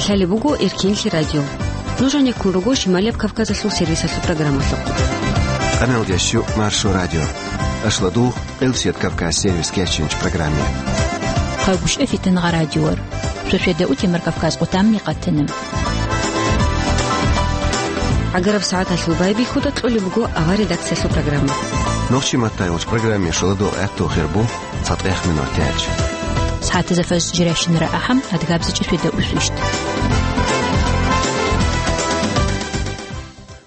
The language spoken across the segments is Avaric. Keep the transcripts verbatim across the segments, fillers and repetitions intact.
Гьале буго Эркинлъи радио. Нуж гьанеккун руго Шималияб Кавказалъул сервисалъул программалъухъ. Къаналги щу Маршо радио. Ашладугъ Къилсият Кавказ сервис кечинч программе. Хъагушев Фитангъа радиор. Шошеда утемар Кавказ къутамни къатана. Агараб сагӀаталъул байбихьуда кьолеб буго авар редакциялъул программа. Нохчи маттайгъуч программе шуладул гӀехту хирбу. Цадгъех минутач. СагӀатазда фаж жиращинара ахӀам, адгабзичӀеб шведа усвищ.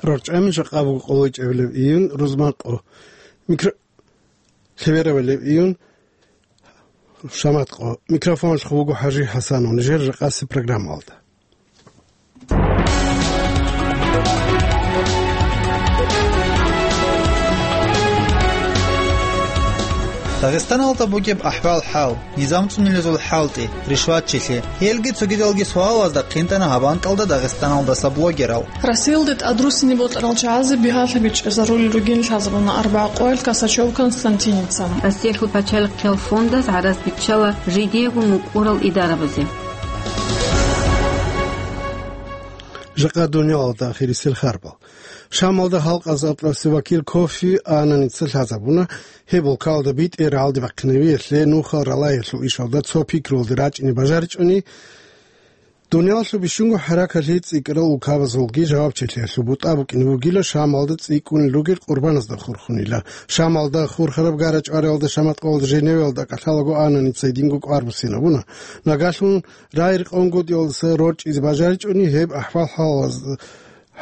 РорчӀами жакъа буго къоло ичӀабилеб июнь, рузманкъо. Микро-, лъеберабилеб июнь, шаматкъо. Микрофоналъухъ вуго ХӀажи ХӀасанов. Нижер жакъаси программалда. Дагъистаналда бугеб ахӀвал-хӀал, низам цӀунилезул хӀалтӀи, ришватчилъи, гьелги цогидалги суалазда хъинтӀана гьаб анкьалда Дагъистаналдаса блогерал. Россиялде тӀадруссине бокьарал чагӀазе бигьалъаби чӀезарулел ругин лъазабуна арбагъ къоялъ Косачёв Константиница. Россиялъул пачалихъиял фондаз гӀарац биччала жидеего мукӀурал идарабазе. Жакъа дуниялалда ахирисел харбал. Шамалда халкъазда атласе вакил Кофи Аннаница лъазабуна, гьеб улкалда битӀе рагӀалде бахъинавиялъе нухал ралаялъул ишалда цо пикрулде рачӀине бажаричӀони, дуниялалъул бищунго хӀаракалъи цӀикӀкӀарал улкабазулги жавабчилъиялъул бутӀа букӀине бугила Шамалда цӀикӀкӀунел ругел къурбаназда хурхунила. Шамалда хурхараб гара-чӀвариялда, шаматкъоялда, Женевиялда кӀалъалаго Аннаница гьединго кӀвар буссинабуна. Нагагьлъун рай-рекъон гьудиялдаса рорчӀизе бажаричӀони гьеб ахӀвал-хӀалалаз-,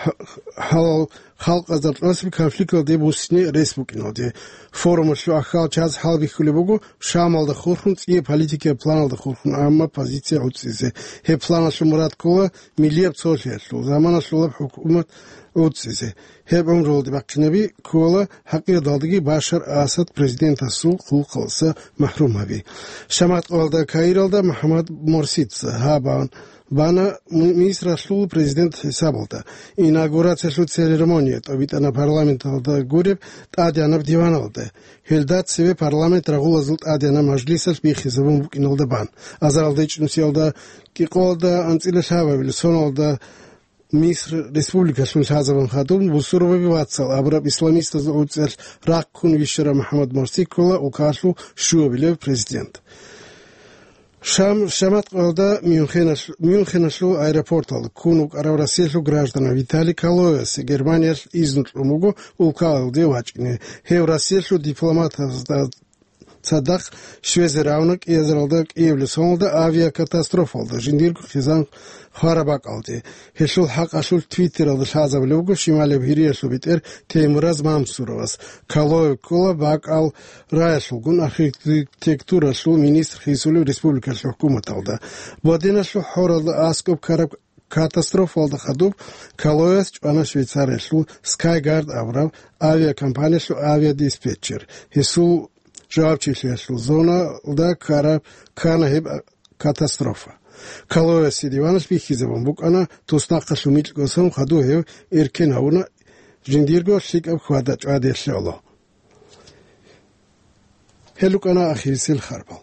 хӀ-, хӀалал халкъазда атласе конфликталде буссине рес букӀиналде. Форумалъул ахӀвал чаз хӀалбихьулеб буго Шамалда хурхун, цӀияб политикияб планалда хурхун, амма позиция гӀуцӀизе. Гьеб планалъул мурад ккола миллияб цолъиялъул, заманалъулаб хӀукумат гӀуцӀизе. Гьеб гӀумруялде бахъинаби ккола хӀакъирадалдаги Башар Асад президентасул хъулухъалдаса махӀрум гьаби. Шаматкъоялда Каиралда МухӀаммад Морсица гьабан бана ми-, Мисралъул президент хӀисабалда. Инаугурациялъул церемония тӀобитӀана парламенталда гуреб тӀадегӀанаб диваналда. Гьелда цеве парламент рагъулазул тӀадегӀанаб мажлисалъ биххизабун букӀиналда бан. Азаралда ичӀнусиялда кӀикъоялда анцӀила лъабабилеб соналда Миср республикалъун лъазабун хадуб бусурбаби вацал абураб исламистазул гӀуцӀиялъ рахъун вищарав МухӀаммад Морси ккола улкалъул щуабилев президент. Шам-, Шаматкъоялда Мюнхеналъ-, Мюнхеналъул аэропорталда ккун вукӀарав Россиялъул гражданин Виталий Калоевасе Германиялъ изну кьун буго улкалде вачӀине. Гьев Россиялъул дипломатазда цадахъ щвезе равна кӀиазаралда кӀиабилеб соналда авиакатастрофалда жиндирго хъизан хвараб бакӀалде. Гьелъул хӀакъалъулъ Твиттералда лъазабулеб буго Шималияб Гьириялъул бетӀер Теймураз Мамсуровас. Калоев ккола бакӀал раялъулгун, архитектуралъул министр хисулев республикалъул хӀукуматалда. Боденалъул хӀоралда аскӀоб ккараб катастрофалда хадуб Калоевас чӀвана Швейцариялъул Скайгард абураб авиакомпаниялъул авиадиспетчер. Гьесул жавабчилъиялъул зоналда ккараб ккана гьеб катастрофа. Калоевасе диваналъ бихьизабун букӀана, туснахъалъув микьго сон хадув гьев эркен гьавуна, жиндирго лъикӀаб хьвада-чӀвадиялъе гӀоло. Гьел рукӀана ахирисел харбал.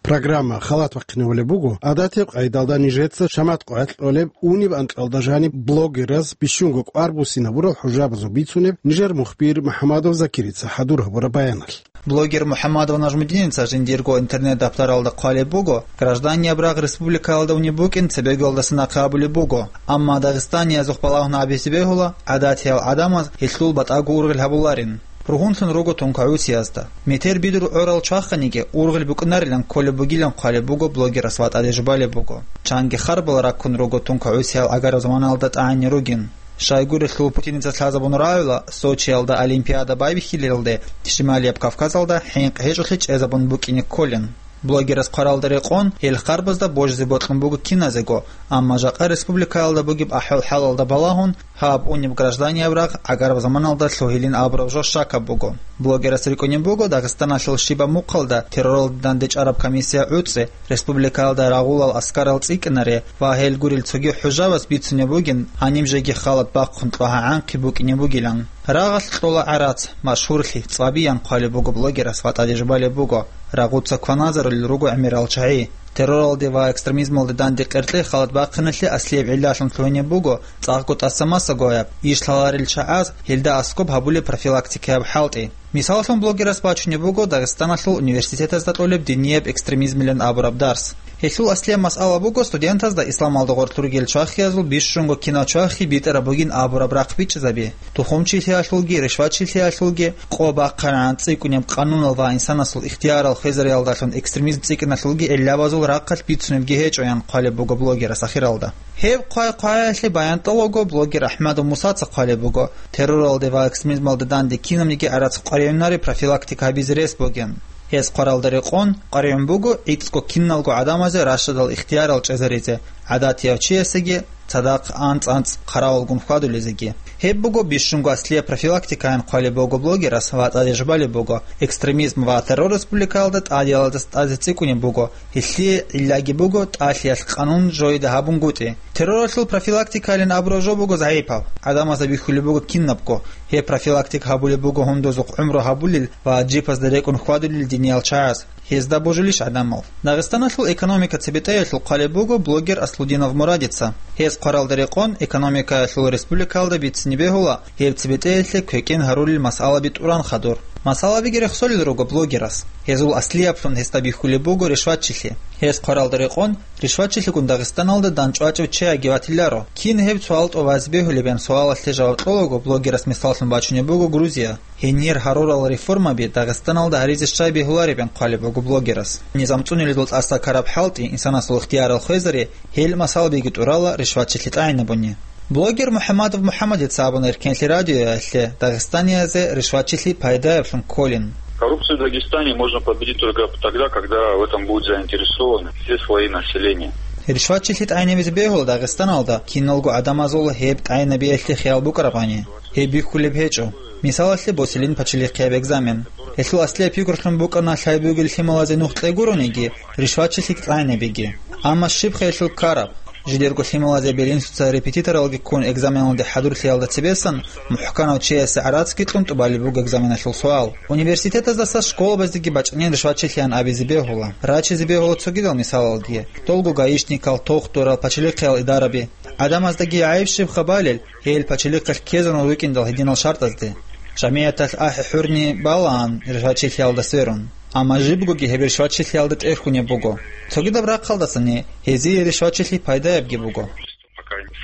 Программа халат бахъинавулеб буго, гӀадатияб къайдалда нижеца шамат къоялъ кьолеб униб анкьалда жаниб блогераз бищунго кӀвар буссинабурал хӀужабазул бицунеб нижер мухбир МухӀамадов Закирица хӀадур гьабураб баяналъ. Блогер МухӀамадов Нажмудиница жиндирго интернет-даптаралда хъвалеб буго, гражданияб рагъ республикаялда унеб букӀин цебеголдаса нахъе абулеб буго, амма дагъистаниязухъ балагьун абизе бегьула, гӀадатиял гӀадамаз гьелъул батӀаго ургъел гьабуларин. Ругьунлъун руго тункагӀусиязда. Метер бидур гӀорал чваханиги, ургъел букӀунарилан кколеб бугилан хъвалеб буго блогерас ва тӀаде жубалеб буго. Чанги харбал раккун руго тункагӀусиял агараб заманалда тӀагӀинни ругин. Щайгурелъул Путиница лъазабун рагӀула, Сочиялда Олимпиада байбихьилелде Шималияб Кавказалда хӀинкъ гьечӀолъи чӀезабун букӀине кколин. Блогерас хъваралда рекъон, гьел харбазда божизе бокьун буго киназего, амма жакъа республикаялда бугеб ахӀвал-хӀалалда балагьун, Гьаб унеб гражданияб рагъ гӀагараб заманалда лъугьилин абураб жо щакаб буго. Блогерас рикӀкӀунеб буго Дагъистаналъул щибаб мухъалда терроралде дандечӀараб комиссия гӀуцӀи, республикаялда рагъулал аскарал цӀикӀкӀинаре ва гьел гурел цоги хӀужабаз бицунеб бугин, гьаниб жеги халат бахъун кьогьа-гӀанхъи букӀине бугилан. Рагъалъ кьола гӀарац, машгьурлъи, цӀвабиян хъвалеб буго блогерас ва тӀаде жубалеб буго, рагъуца кваназарулел руго гӀемерал чагӀи. Терроралде ва экстремизмалде данде къеркьей халат бахъиналъе аслияб гӀиллалъун лъугьинеб буго цӀакъго тӀаса-масаго гьаб, иш лъаларел чагӀаз гьелда аскӀоб гьабулеб профилактикаяб хӀалтӀи. Мисаллъун, блогерас бачунеб буго Дагъистаналъул университетазда кьолеб динияб экстремизмилан абураб дарс. Гьелъул аслияб масъала буго студентазда исламалда гъорлъ ругел чвахиязул бищунго кинав чвахи битӀараб бугин абураб рахъ бичӀчӀизаби. Тухумчилъиялъулги, ришватчилъиялъулги, къо бахъарагӀан цӀикӀкӀунеб къанунал ва инсанасул ихтиярал хвезариялдалъун экстремизм цӀикӀкӀиналъулги гӀиллабазул рахъалъ бицунебги гьечӀо, ян хъвалеб буго блогерас ахиралда. Гьеб хъвай-хъваялъе баян тӀолого блогер АхӀмадов Мусаца хъвалеб буго, терроралде ва экстремизмалде данде кинабниги гӀарац къваригӀунаре профилактика гьабизе рес бугин. Гьес хъваралда рекъон къваригӀун буго гӀицӀго киналго гӀадамазе рашадал ихтиярал чӀезаризе, гӀадатияв чиясеги цадахъ анцӀ-анцӀ хъаравулгун хьвадулезеги. Гьеб буго бищунго аслияб профилактикаян хъвалеб буго блогерас ва тӀаде жубалеб буго, экстремизм ва террор республикаялда тӀадеялдаса тӀаде цӀикӀкӀунеб буго, гьелъие гӀиллаги буго тӀалъиялъ къанун жоида гьабунгутӀи. Терроралъул профилактикайилан абураб жо буго загӀипаб. ГӀадамазда бихьулеб буго кинабго. Гьеб профилактика гьабулеб буго гьундузухъ гӀумру гьабулел ва жипазда рекӀун хьвадулел диниял чагӀаз. Гьезда божилищ гӀадамал? Дагъистаналъул экономика цебетӀеялъул хъвалеб буго блогер Аслудинов Мурадица. Гьес хъваралда рекъон экономикаялъул республикаялда бицине бегьула гьеб цебетӀеялъе квекӀин гьарулел масъалаби тӀуран хадур. Масъалабиги рехсолел руго блогерас. Гьезул аслияблъун гьесда бихьулеб буго ришватчилъи. Гьес хъваралда рекъон, ришватчилъигун Дагъистаналда данчӀвачӀев чияги ватиларо. Кин гьеб суал тӀубазе бегьулеб, ян суалалъе жаваб кьолаго, блогерас мисаллъун бачунеб буго Грузия. Гьенир гьарурал реформаби Дагъистаналда гьаризе щай бегьулареб, ян хъвалеб буго блогерас. Низам цӀуниледул тӀаса ккараб хӀалтӀи инсанасул ихтиярал хвезари, гьел масъалабиги тӀурала ришватчилъи тӀагӀинабуни. Блогер МухӀаммадов МухӀаммадица абуна Эркенлъи радиоялъе дагъистаниязе ришватчилъи пайдаялъун кколин. Коррупцию в Дагестане можно победить только тогда, когда в этом будут заинтересованы все слои населения. Ришватчилъи тӀагӀинабизе бегьула Дагъистаналда киналго гӀадамазул гьеб тӀагӀинабиялъе хиял букӀарабани. Гьеб бихьулеб гьечӀо. Мисалалъе босилин пачалихъияб экзамен. Гьелъул аслияб пикрулъун букӀана лъай бугел лъималазе нух кьегурониги, ришватчилъи тӀагӀинабиги. Амма щибха гьелъул ккараб? Жидерго лъималазе белинсуца репетиторалги ккун экзаменалде хӀадурлъиялда цебесан, мухӀканав чиясе гӀарацги кьун тӀубалеб буго экзаменалъул суал. Университетаздаса школабазеги бачӀанин ришватчилъиян абизе бегьула. Рачизе бегьула цогидал мисалалги. Долго гаишникал, тохтурал, пачалихъиял идараби. ГӀадамаздаги гӀайиб щибха балел, гьел пачалихъалъ ккезарун рукӀиндал гьединал шартӀазде. ЖамигӀяталъ ахӀи-хӀурни балаан ришватчилъиялда сверун. Амма жибгоги гьеб ришватчилъиялда тӀерхьунеб буго. Цогидаб рахъалдасани гьезие ришватчилъи пайдаябги буго.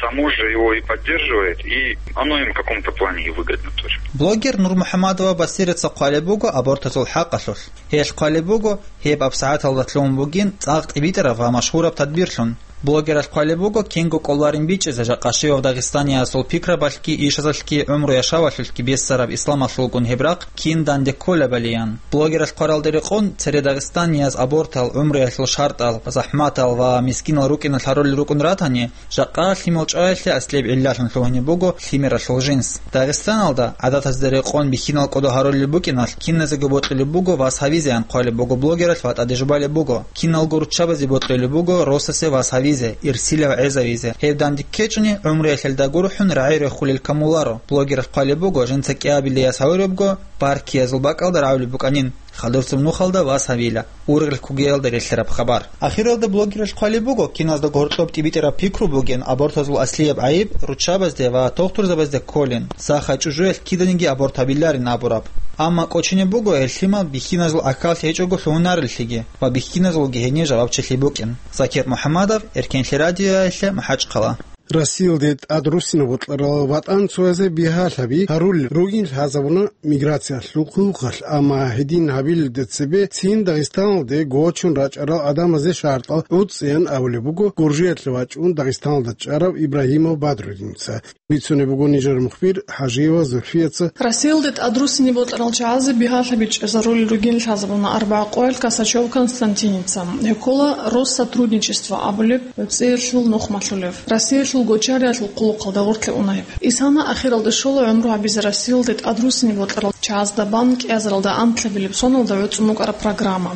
Само же его и поддерживает, и оно им в каком-то плане и выгодно тоже. Блогер Нурмухаммадова Басирица хъвалеб буго абортазул хӀакъалъулъ. Гьелъ хъвалеб буго, гьеб абсагӀаталда лъугьун бугин цӀакъ тӀибитӀараб ва машгьураб тадбирлъун. Блогералъ хъвалеб буго кинго кӀоларин бичӀчӀизе жакъа щивав дагъистаниясул пикрабалъги, ишазалъги, гӀумру-яшавалъулъги бессараб исламалъулгун гьеб рахъ кин данде кколебали, ян. Блогералъ хъваралда рекъон, цере дагъистанияз абортал, гӀумруялъул шартӀал, захӀматал ва мискинал рукӀиналъ гьарулел рукӀун ратани, жакъа лъимал чӀваялъе аслияб гӀиллалъун лъугьунеб буго лъимералъул жинс. Дагъистаналда, гӀадатазда рекъон, бихьинал кӀодо гьарулел букӀиналъ, киназего бокьулеб буго вас гьавизеян хъвалеб буго блогералъ ва тӀаде жубалеб буго. Киналго руччабазе бокьулеб буго росасе вас гьавизе, ирсилав гӀезавизе. Гьеб данде ккечӀони, гӀумруялъе дагурухӀун рагӀи рехулел камуларо. Блогералъ хъвалеб буго, жинца кӀиабилеяс гьавурабго, паркиязул бакӀалда рагӀулеб букӀанин. Хадурцев нухалда вас гьавила, ургъел кугиялда релълъараб хабар. Ахиралда блогералъ хъвалеб буго, киназда гьоркьоб тӀибитӀараб пикру бугин абортазул аслияб гӀайиб руччабазде ва тохтурзабазде кколин, сахай чӀужуялъ киданиги аборт гьабиларин абураб. Амма кӀочинеб буго гьел лъимал бихьиназул гӀахьаллъи гьечӀого лъугьунареллъиги ва бихьиназулги гьенир жавабчилъи букӀин. Закир МухӀаммадов, Эркенлъи радиоялъе, МахӀачхъала. Россиялде тӀад руссинаб бокьарал ватӀанцоязе бигьалъаби гьарулел ругин лъазабуна миграциялъул хъулухъалъ, амма гьедин гьабилелде цебе цин Дагъистаналде гочун рачӀарал гӀадамазе шартӀал гӀуцӀцӀиян абулеб буго Гуржиялъе вачӀун Дагъистаналда чӀарав Ибрагьимов Бадрудиница. Бицунеб буго нижер мухбир ХӀажиева Зульфияца. Россиялде тӀад руссинаб бокьарал чагӀазе бигьалъаби чӀезарулел ругин лъазабуна арбагӀа къоялъ Косачев Константиница. Гьев ккола Россотрудничество абулеб цӀиялъул нухмалъулев. Россиялъ гочариялъул хъулухъалда гъорлъе уна гьеб. Исана ахиралде щола гӀумру гьабизе Россиялде тӀадруссине бокьарал чагӀазда бан кӀиазаралда анлъабилеб соналда гӀуцӀун букӀараб программа.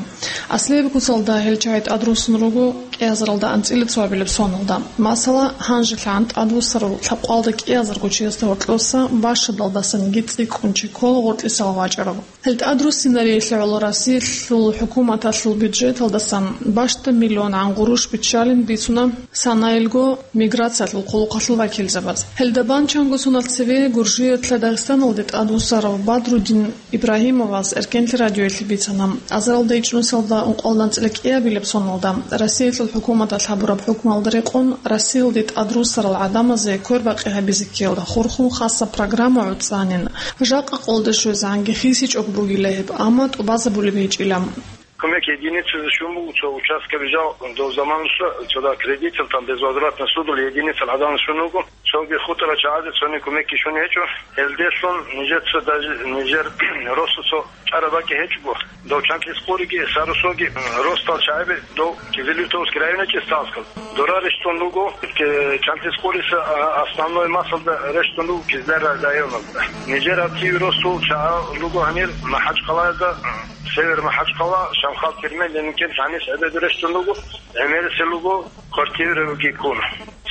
Аслияб куцалда гьел чагӀи тӀадруссун руго кӀиазаралда анцӀила цоабилеб соналда. Масала, гьанжелъагӀан тӀадвуссарал лъабкъоялда кӀиазарго чиясда гьоркьоса бащадалдасаниги цӀикӀкӀун чи ккола гъоркьисал вачӀарав. Гьел тӀадруссинариялъе гӀоло Россиялъул хӀукуматалъул бюджеталдасан бащдаб миллионгӀан гъурущ биччалин бицуна санаялго миграциялъул хъулухъалъул вакилзабаз. Гьелда бан чанго соналъ цеве Гуржиялъа Дагъистаналде тӀадвуссарав Бадрудин Ибрагьимовас Эркенлъи радиоялъе бицана, азаралда ичӀнусиялда ункъоялда анцӀила кӀиабилеб соналда Россиялъул хӀукуматалъ гьабураб хӀукмуялда рекъон Россиялде тӀадруссарал гӀадамазе квербакъи гьабизе ккеялда хурхун хасаб программа гӀуцӀанин. Жакъа къолде щвезегӀанги хисичӀого бугила гьеб, амма тӀубазабулеб гьечӀила. Кумек единицазе щун буго цо участкаби жал дов заманалъ, цо да кредитал там безвозвратно судул единицал гӀадамал щун вуго, цоги хутӀарал чагӀазе цони кумекги щун гьечӀо. Гьелделъун нижеца даже нижер росу цо чӀараб бакӀи гьечӀого. Дов Чантлъис къуриги, Сарусоги, ростал чагӀаби дов Кизилюртовский районе Чисталскал. Дора рещтӀун руго, э, Чантлъис къуриса, а, основной массалда рещтӀун руго Кизляр районалда. Нижер активи росул чагӀал руго гьанир МахӀачхъалаялда, Север МахӀачхъала, Шамхал термин, Ленинкент гьанис гӀебеду рещтӀун руго, гӀемерисел руго квартираги ккун.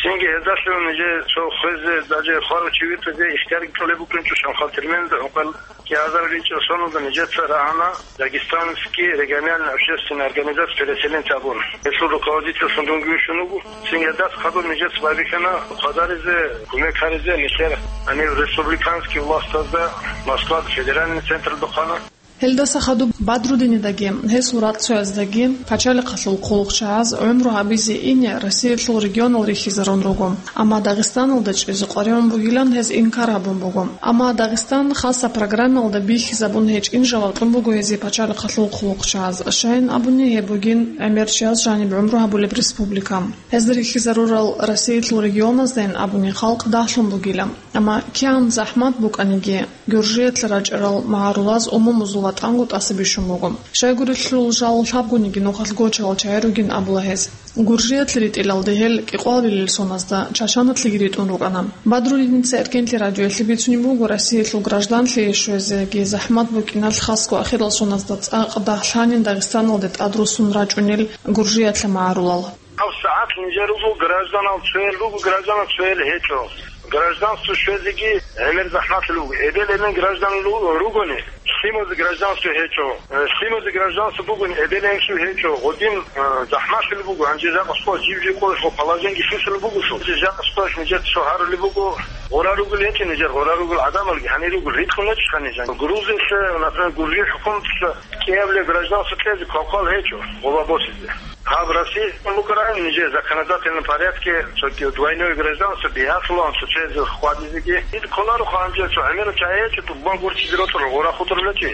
Цинги гьездалъун нижее цо хвезе, даже хварав чи витӀизе ихтиярги кьолеб букӀинчӀо Шамхал терминда гьукъан кӀиазариличӀел соналда нижеца рагӀана Дагестанский региональный общественный организация переселенцев абун. Гьелъул руководительлъун дунги вищун вуго. Цинги гьелдаса хадуб нижеца байбихьана хъвадаризе, кумек гьаризе нилъер гьанив республиканский властазда Москвада федеральный централда хъвана. Гьелдаса хадуб Бадрудинидаги гьесул рацӀцӀояздаги пачалихъалъул хъулухъчагӀаз гӀумру гьабизе ине Россиялъул регионал рихьизарун руго, амма Дагъистаналда чӀезе къваригӀун бугилан гьез инкар гьабун буго. Амма Дагъистан хасаб программаялда бихьизабун гьечӀин жаваб кьун буго гьезие пачалихъалъул хъулухъчагӀаз. Щайин абуни, гьеб бугин гӀемер чияс жаниб гӀумру гьабулеб республика. Гьезда рихьизарурал Россиялъул регионаздайин абуни халкъ дагьлъун бугила. Амма кигӀан захӀмат букӀаниги, Гуржиялъ рачӀарал магӀарулаз умумузул ватӀанго тӀаса бищун буго. Щайгурелъул жал лъабгониги нухалъ гочарал чагӀи ругин абула гьез. Гуржиялъ ритӀилалде гьел кӀикъвалбилел соназда чачаналъеги ритӀун рукӀана. Бадрудиница Эркенлъи радиоялъе бицунеб буго, Россиялъул гражданлъи щвезеги захӀмат букӀиналъ хасго ахирал соназда цӀакъ дагь лъанин Дагъистаналде тӀадруссун рачӀунел Гуржиялъа магӀарулал. ГьабсагӀат нижер руго гражданал цоял руго, гражданал цоял гьечӀо. Гражданство щвезеги гӀемер захӀмалъи руго. Эбел-эмен граждан ру-, ругони, лъимазе гражданство гьечӀо. Э, лъимазе гражданство бугони, эбел-эменлъи гьечӀо. Гъодин, э, захӀмалъи буго, гьанже жакъа сто жив-жив къоялъул положениеги лъуцӀун буго лъугьа. Жакъа сто нижер цо гьарули буго, гъура ругел гьечӀо нижер, гъура ругел гӀадамалги гьанир руго, рикӀкӀун гьечӀо нижер. Грузиялъе, например, Гуржи хӀукуматалъ кӀиабилеб гражданство кьезе квалквал гьечӀо, гъоба босизе. Гьаб Россия букӀараб нижер законодательном порядке цоги двойное гражданство бигьалъулаан цо чезе хьвадизеги. Ил кколаро ханже цо гӀемерал чагӀи гьечӀо, тӀубан гурчизе рокьула гъура хутӀарулечи.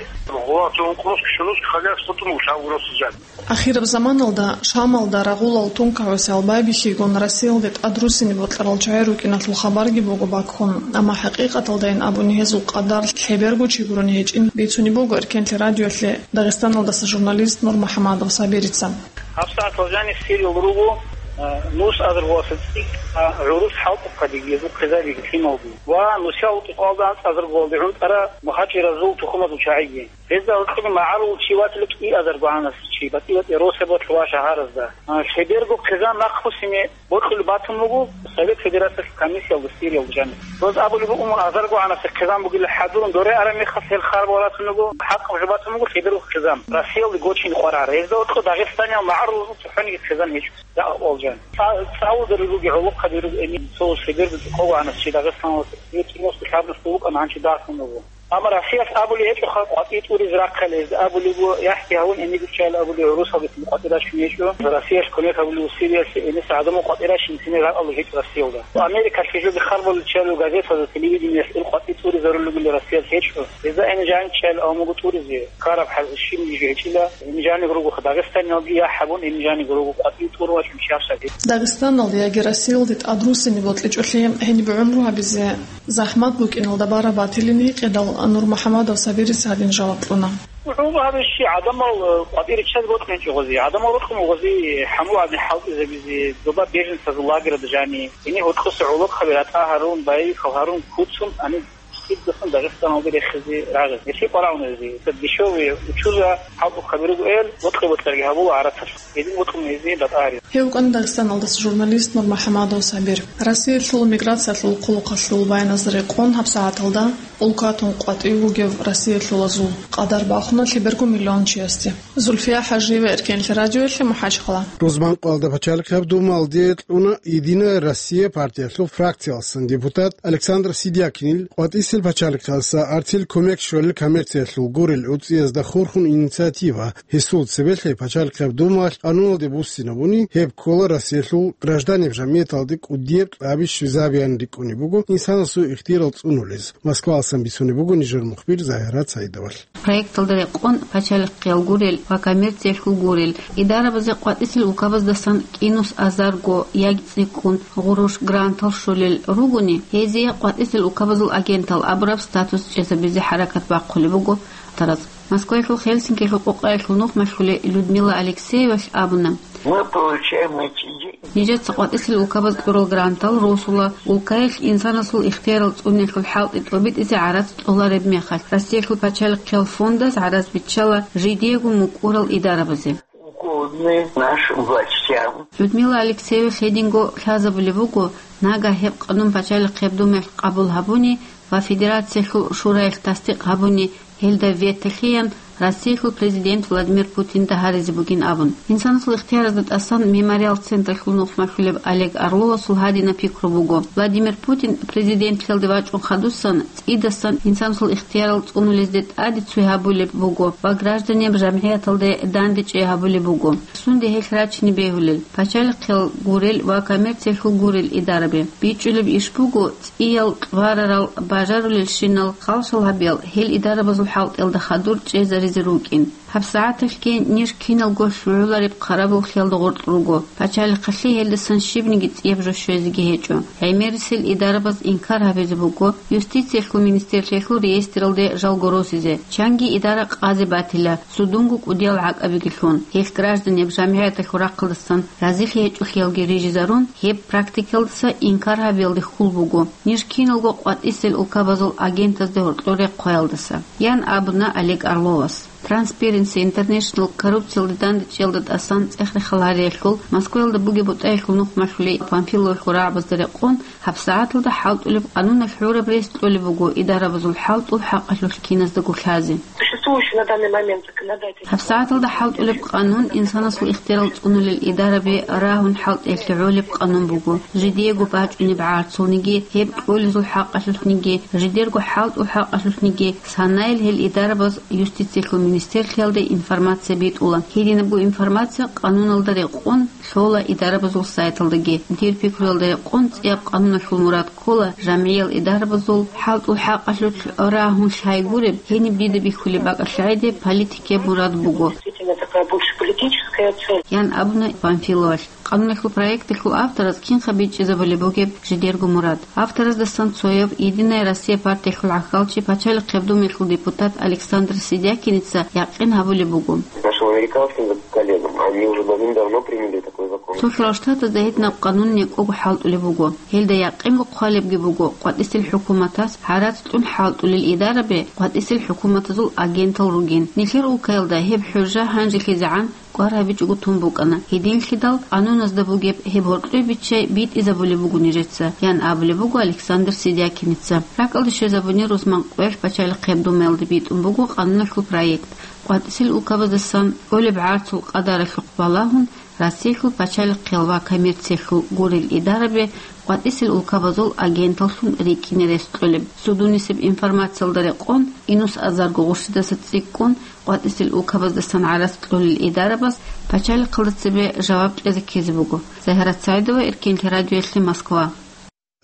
Гъура цо ункънусги щунусги хозяйство тун лъабгуросужан. Ахираб заманалда Шамалда рагъулал тункагӀусиял байбихьигун Россиялде тӀадруссине бокьарал чагӀи рукӀиналъул хабарги буго баккун, амма хӀакъикъаталдайин абуни гьезул къадар лъеберго чи гурони гьечӀин бицунеб буго Эркенлъи радиоялъе Дагъистаналдаса журналист Нурмухьамадов Сабирица. ГьабсагӀат Лазанис сирил руго, а, нус азаргоялдаса цӀикӀкӀа гӀурус хӀалтӀухъаде гьезул хъизариги лъималги ва нусиял кӀикъоялда анцӀазаргоялде гӀунтӀара мухӀажиразул тухумазул чагӀиги. Гьезда гьоркьоги магӀарул чи ватила кӀиазаргогӀанас чи, батӀи-батӀи росабалъ ва шагьаразда. А, лъеберго хъизан нахъбуссине бокьулеб батун буго Совет Федерациялъул комиссиялда сириялда жаниб. Доз абулеб буго, азаргогӀанасе хъизан бугила хӀадурун доре араб мехалъ гьел харбал ратун руго, хӀакъаб жо батун буго лъеберго хъизан Россиялде гочине къваригӀара. Гьезда гьоркьо Дагъистаниял магӀарулазул цохӀониги хъизан гьечӀо. Я, Алжан. Ца-, цӀалударил руги гӀолохъаби руго эми, цо лъеберго кӀикъоялда гӀанас чи Дагъистаналда девяносто лъабнасда вукӀана, гьанчи дагьлъун вуго. Амма Россиялъ абулеб гьечӀоха къватӀи тӀуризе рахъали, гьезда абулеб буго, яхӀги гьавун эми гуччайил абулеб, гӀурусалдехун къватӀи рачун гьечӀо. Россиялъ кумек гьабулев Сириялъе эниса гӀадамал къватӀи рачун цинги ракӀалда гьечӀо Россиялда. Америкалъ жоги харбаличчалев газетазда, телевидениялъ ил къватӀи тӀуризарулел ругели Россиялъ гьечӀо. Гьезда эни жанчӀайил авмуго тӀуризе ккараб хӀал щибниги гьечӀила, эни жаниб ругоха Дагъистаниялги яхӀ гьабун, эни жаниб руго къватӀи тӀур вачӀун чиясаги. Дагъистаналда яги Россиялде тӀадруссине бокьичӀолъи гьениб гӀумру гьабизе захӀмат букӀиналда бараб батилин гьикъидал Нурмухьамадов Сабирис гьадин жаваб кьуна. ГӀумру гьабищи гӀадамал, э, къватӀире чаз бокьун чӀугъазе, гӀадамал рукъун угъазе, хӀамул гӀадин хӀалтӀизабизе, доба беженцазул лагерда жани, гьенир гьоркьоса гӀолохъаби ратӀа гьарун, байбихьал гьарун куцун, гьаниб цӀидасан Дагъистаналде рехизе рагъизе. Гьелъие къварагӀун гьезие. Ца дешевые учуза хӀалтӀухъаби ругоэл, бокьи-бокьарги гьабула гӀарацалъ. Гьедин бокьун гьезие ратӀа гьаризе. Гьев вукӀана Дагъистаналдаса журналист НурмухӀамадов Сабир. Россиялъул миграциялъул хъулухъалъул баяназда рекъон гьабсагӀаталда улкатун къватӀив вугев россиялъулазул къадар бахуна лъеберго миллион чиясде. Зульфия ХӀажиева, Эркенлъи радиоялъе, МухӀажгьала. Рузманкъоялда пачалихъаб думалде кьуна «Единая Россия» партиялъул фракциялъан депутат Александр Сидякинил къватӀисел пачалихъалъа гӀарцил кумек щолел коммерциялъул гурел гӀуцӀиязда хурхун инициатива. Гьесул цебелъе пачалихъаб думалъ къануналде буссинабуни, гьеб ккола Россиялъул гражданиб жамгӀияталде кӀудияб кьаби щвезабеян рикӀкӀунеб буго инсанасул ихтиярал цӀунулез. Москваласан бицунеб буго нижер мухбир Загьират Саидовалъ. Проекталда рекъон пачалихъиял гурел ва коммерциялъул гурел идарабазе къватӀисел улкабаздасан кӀинус азарго яги цӀикӀкӀун гъурущ грантал щолел ругони, гьезие къватӀисел улкабазул агентал абураб статус чӀезабизе хӀаракат бахъулеб буго тараз. Москваялъул Хельсинкиялъул къокъаялъул нухмалъулей Людмила Алексеевалъ абуна: Мы получаем эти деньги. Нижеца къватӀисел улкабаз кьурал грантал росула улкаялъ инсанасул ихтиярал цӀуниялъул хӀалтӀи тӀобитӀизе гӀарац кьолареб мехалъ, Россиялъул пачалихъиял фондаз гӀарац биччала жидеего мукӀурал идарабазе. Угодны нашим властям. Людмила Алексеева гьединго лъазабулеб буго, нагагь гьеб къанун пачалихъеб думаялъ къабул гьабуни ва Федерациялъул Шураялъ тасдикъ гьабуни, гьелда вето лъеян Россиялъул президент Владимир Путинда гьаризе бугин абун. Инсанасул ихтияразда тӀасан Мемориал централъул нухмалъулеб Олег Орловасул гьадинаб пикру буго: Владимир Путин президентлъиялде вачӀун хадусан, цӀидасан инсанасул ихтиярал цӀунулезде тӀаде цой гьабулеб буго ва гражданин жамгӀияталде дандечӀей гьабулеб буго. Сунде гьелъ рачине бегьулел, пачалихъиял гурел ва коммерциялъул гурел идарабе? БичӀчӀулеб иш буго, цӀиял кьварарал бажарулелщинал халшал гьабиял гьел идарабазул хӀалтӀиялда хадур чӀезаризе рукӀин. ГьабсагӀаталъги ниж киналго лъугӀулареб хъарабуллъиялда гъоркь руго. Пачалихъалъе гьелдасан щибниги цӀияб жо щвезеги гьечӀо. ГӀемерисел идарабаз инкар гьабизе буго юстициялъул министрлъиялъул реестралде жалго росизе, чанги идара къазе батила, судунго кӀудиял гӀакӀабиги лъун. Гьелъ гражданин жамгӀияталъул рахъалдасан разилъи гьечӀолъиялги рижизарун, гьеб практикаялдаса инкар гьабиялде хьул буго. Ниж киналго къватӀисел улкабазул агентазде гьоркьор рехъваялдаса, ян абуна Олег Орловас. Transparency International коррупциялде дандечӀиялда тӀасан цӀех-рехал гьариялъул Москваялда бугеб бутӀаялъул нухмалъулей Памфиловалъул рагӀабазда рекъон, гьабсагӀаталда хӀалтӀулеб къануналъ гӀураб рес кьолеб буго идарабазул хӀалтӀул хӀакъалъулъ киназдаго лъазе. Существующий на данный момент законодательный ГьабсагӀаталда хӀалтӀулеб къанун инсанасул ихтиярал цӀунулел идараби рагьун хӀалтӀиялъе гӀолеб къанун буго. Жидеего бачӀунеб гӀарцулниги, гьеб кьолезул хӀакъалъулъниги, жидерго хӀалтӀул хӀакъалъулъниги, санайил гьел идарабаз юстициялъул министрлъиялде информация битӀула. Гьединабго информация къануналда рекъон лъола идарабазул сайталдаги. Дир пикруялда рекъон цӀияб къануналъул мурад ккола жамгӀиял идарабазул хӀалтӀул хӀакъалъулъ рагьун лъай гуреб, гьениб дида бихьулеб бакӀалъ гӀеде политикияб мурад буго, Действительно, такая больше политическая цель. ян абуна Памфиловалъ. Къануналъул проекталъул автораз кинха бичӀчӀизабулеб бугеб жидерго мурад. Автораздасан цояв «Единая Россия» партиялъул гӀахьалчи, Пачалихъ Гьабдумиялъул депутат Александр Сидякиница якъин гьабулеб буго. Нашим американским коллегам, они уже давным-давно приняли такой закон. Цо-, Цо-, Штатазда гьединаб къанун некӀого хӀалтӀулеб буго. Гьелда якъинго хъвалебги буго, къватӀисел хӀукуматас гӀарац кьун хӀалтӀулел идараби къватӀисел хӀукуматазул агентал ругин. Нилъер улкаялда гьеб хӀужа гьанжелъизегӀан кӀвар гьабичӀого тун букӀана. Гьединлъидал къануназда бугеб гьеб гьоркьоб биччай битӀизабулеб буго нижеца, ян абулеб буго Александр Сидякиница. РакӀалде щвезабуни рузман къоялъ Пачалихъ Гьабдумиялде битӀун буго къануналъул проект. КъватӀисел улкабаздасан кӀолеб гӀарцул къадаралъухъ балагьун, Россиялъул пачалихъиял ва коммерциялъул гурел идараби къватӀисел улкабазул агенталлъун рикӀкӀине рес кьолеб. Судунисеб информациялда рекъон, инус азарго гъурщидаса цӀикӀкӀун, къватӀисел улкабаздасан гӀарац кьолел идарабаз пачалихъалда цебе жаваб кьезе ккезе буго. Загьират Саидова, Эркенлъи радиоялъе, Москва.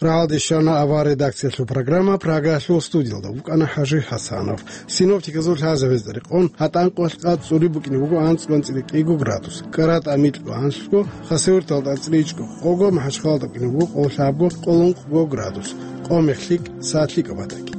Рагьалде щвана авар редакциялъул программа. Прагаялъул студиялда вукӀана ХӀажи ХӀасанов. Синоптиказул лъазабазда рекъон, гьатӀанкъоялъ къад цӀури букӀине буго анцӀго анцӀила кӀиго градус, КӀаратӀа микьго анлъго, Хасавюрталда анцӀила ичӀго къого, МахӀачхъалада букӀине буго къоло лъабго, къоло ункъго градус, къо мехлъи, сад лъикӀаб батаги.